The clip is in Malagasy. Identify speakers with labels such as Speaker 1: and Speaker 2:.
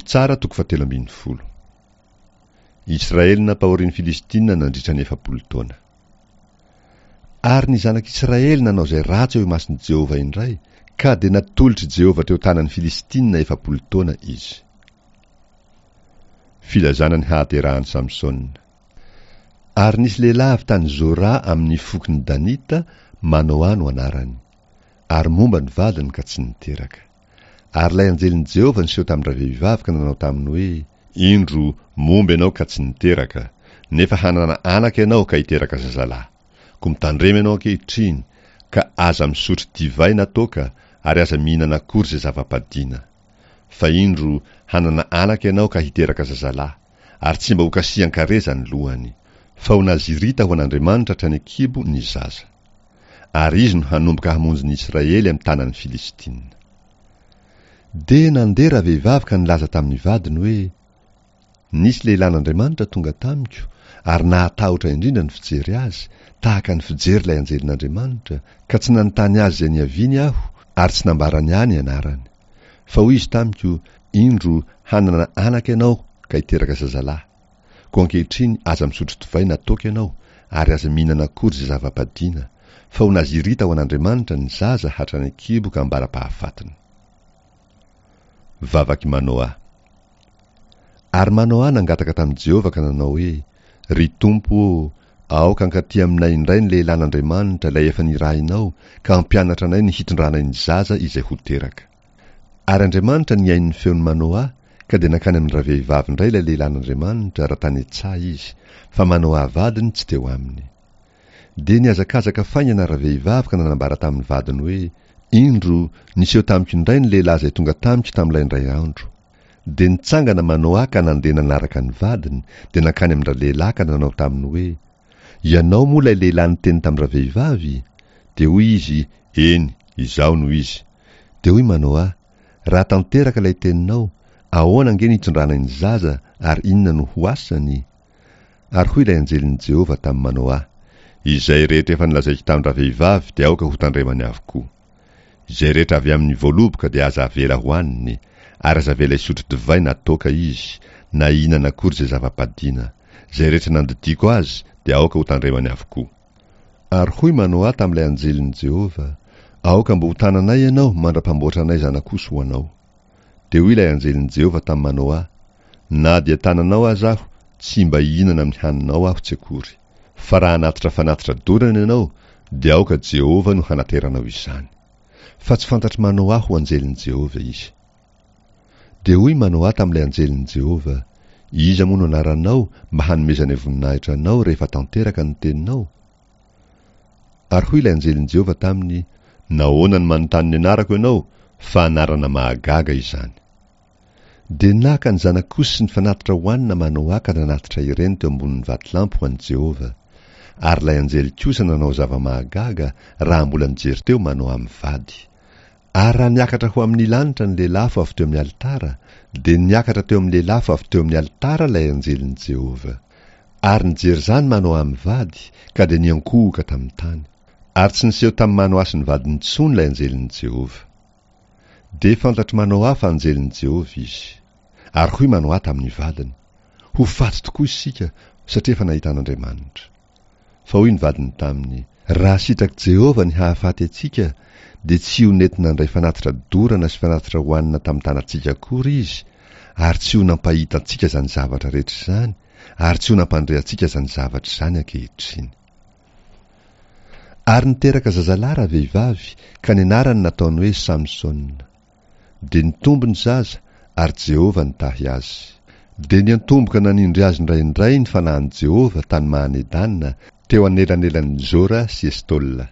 Speaker 1: Mpitsara toko fahatelo ambin'ny folo. Israely nampahorian'ny Filistina nandritra ny 40 taona. Ary ny zanak'Israely nanao izay ratsy eo imason'i Jehovah indray, ka dia natolotr'i Jehovah teo tanan'ny Filistina 40 taona izy. Filazana ny hahaterahan'i Samsona. Ary nisy lehilahy avy tany Zora amin'ny fokon'ny Danita, Manoa no anarany. Ary momba ny vadiny ka tsy niteraka. Ary ilay anjelin'i Jehovah niseho tamin-dravehivavy ka nanao taminy hoe, Indro, momba ianao ka tsy niteraka, nefa hanana anaka ianao ka hiteraka zazalahy. Koa mitandrema ianao ankehitriny, ka aza misotro divay na toaka, ary aza mihinana akory izay zava-padiana. Fa indro, hanana anaka ianao ka hiteraka zazalahy, ary tsy mba hokasihan-kareza ny lohany. Fa ho Nazirita ho an'Andriamanitra hatrany an-kibo ny zaza. Ary izy no hanomboka hamonjy ny Israely amin'ny tanan'ny Filistina. Dia nandeha ravehivavy ka nilaza tamin'ny vadiny hoe, Nisy lehilahin'Andriamanitra tonga tamiko, ary nahatahotra indrindra ny fijery azy, tahaka ny fijery ilay anjelin'Andriamanitra, ka tsy nanontany azy izay niaviany aho, ary tsy nambarany ahy ny anarany. Fa hoy izy tamiko, Indro, hanana anaka ianao ka hiteraka zazalahy. Koa ankehitriny aza misotro divay na toaka ianao, ary aza mihinana akory izay zava-padiana, fa ho Nazirita ho an'Andriamanitra ny zaza hatrany an-kibo ka ambara-pahafatiny. Vavak'i Manoa. Ary Manoa nangataka tamin'i Jehovah ka nanao hoe, Ry Tompo ô, aoka hankaty aminay indray ny lehilahin'Andriamanitra ilay efa nirahinao ka hampianatra anay ny hitondranay ny zaza izay ho teraka. Ary Andriamanitra nihaino ny feon'i Manoa, ka dia nankany amin-dravehivavy indray ilay lehilahin'Andriamanitra raha tany an-tsaha izy, fa Manoa vadiny tsy teo aminy. Dia nihazakazaka faingana ravehivavy ka nanambara tamin'ny vadiny hoe, Indro, niseho tamiko indray ny lehilahy izay tonga tamiko tamin'ilay indray andro. Dia nitsangana Manoa ka nandeha nanaraka ny vadiny, dia nankany amin-dralehilahy ka nanao taminy hoe, Ianao moa ilay lehilahy niteny tamin-dravehivavy? Dia hoy izy, Eny, izaho no izy. Dia hoy Manoa, Raha tanteraka ilay teninao, ahoana ange ny hitondranay ny zaza ary inona no ho asany? Ary hoy ilay anjelin'i Jehovah tamin'i Manoa, Izay rehetra efa nolazaiko tamin-dravehivavy dia aoka hotandremany avokoa. Izay rehetra avy amin'ny voaloboka dia aza avela hohaniny, ary aza avela hisotro divay na toaka izy, na hihinana akory izay zava-padiana. Izay rehetra nandidiako azy dia aoka hotandremany avokoa. Ary hoy Manoa tamin'ilay anjelin'i Jehovah, Aoka mba ho tananay ianao mandra-pamboatranay zanak'osy ho anao. Dia hoy ilay anjelin'i Jehovah tamin'i Manoa, Na dia tananao aza aho, tsy mba hihinana amin'ny haninao aho tsy akory. Fa raha hanatitra fanatitra dorana ianao, dia aoka Jehovah no hanateranao izany. Fa tsy fantatr'i Manoa ho anjelin'i Jehovah izy. Dia hoy Manoa tamin'ilay anjelin'i Jehovah, Iza moa no anaranao mba hanomezanay voninahitra anao rehefa tanteraka ny teninao? Ary hoy ilay anjelin'i Jehovah taminy, Nahoana no manontany ny anarako ianao, fa anarana mahagaga izany? Dia naka ny zanak'osy sy ny fanatitra hohanina Manoa ka nanatitra ireny teo ambonin'ny vatolampy ho an'i Jehovah. Ary ilay anjely kosa nanao zava-mahagaga raha mbola nijery teo Manoa mivady. Ary raha niakatra ho amin'ny lanitra ny lelafo avy teo amin'ny alitara, dia niakatra teo amin'ny lelafo avy teo amin'ny alitara ilay anjelin'i Jehovah. Ary nijery izany Manoa mivady, ka dia niankohoka tamin'ny tany. Ary tsy niseho tamin'i Manoa sy ny vadiny intsony ilay anjelin'i Jehovah. Dia fantatr'i Manoa fa anjelin'i Jehovah izy. Ary hoy Manoa tamin'ny vadiny, Ho faty tokoa isika, satria efa nahita an'Andriamanitra. Fa hoy ny vadiny taminy, Raha sitrak'i Jehovah ny hahafaty antsika, dia tsy ho nety nandray fanatitra dorana sy fanatitra hohanina tamin'ny tanantsika akory izy, ary tsy ho nampahita antsika izany zavatra rehetra izany, ary tsy ho nampandre antsika izany zavatra izany ankehitriny. Ary niteraka zazalahy ravehivavy, ka ny anarany nataony hoe Samsona. Dia nitombo ny zaza, ary Jehovah nitahy azy. Dia niantomboka nanindry azy indraindray ny fanahin'i Jehovah tany Mahanedana, teo anelanelan'i Zora sy Estola.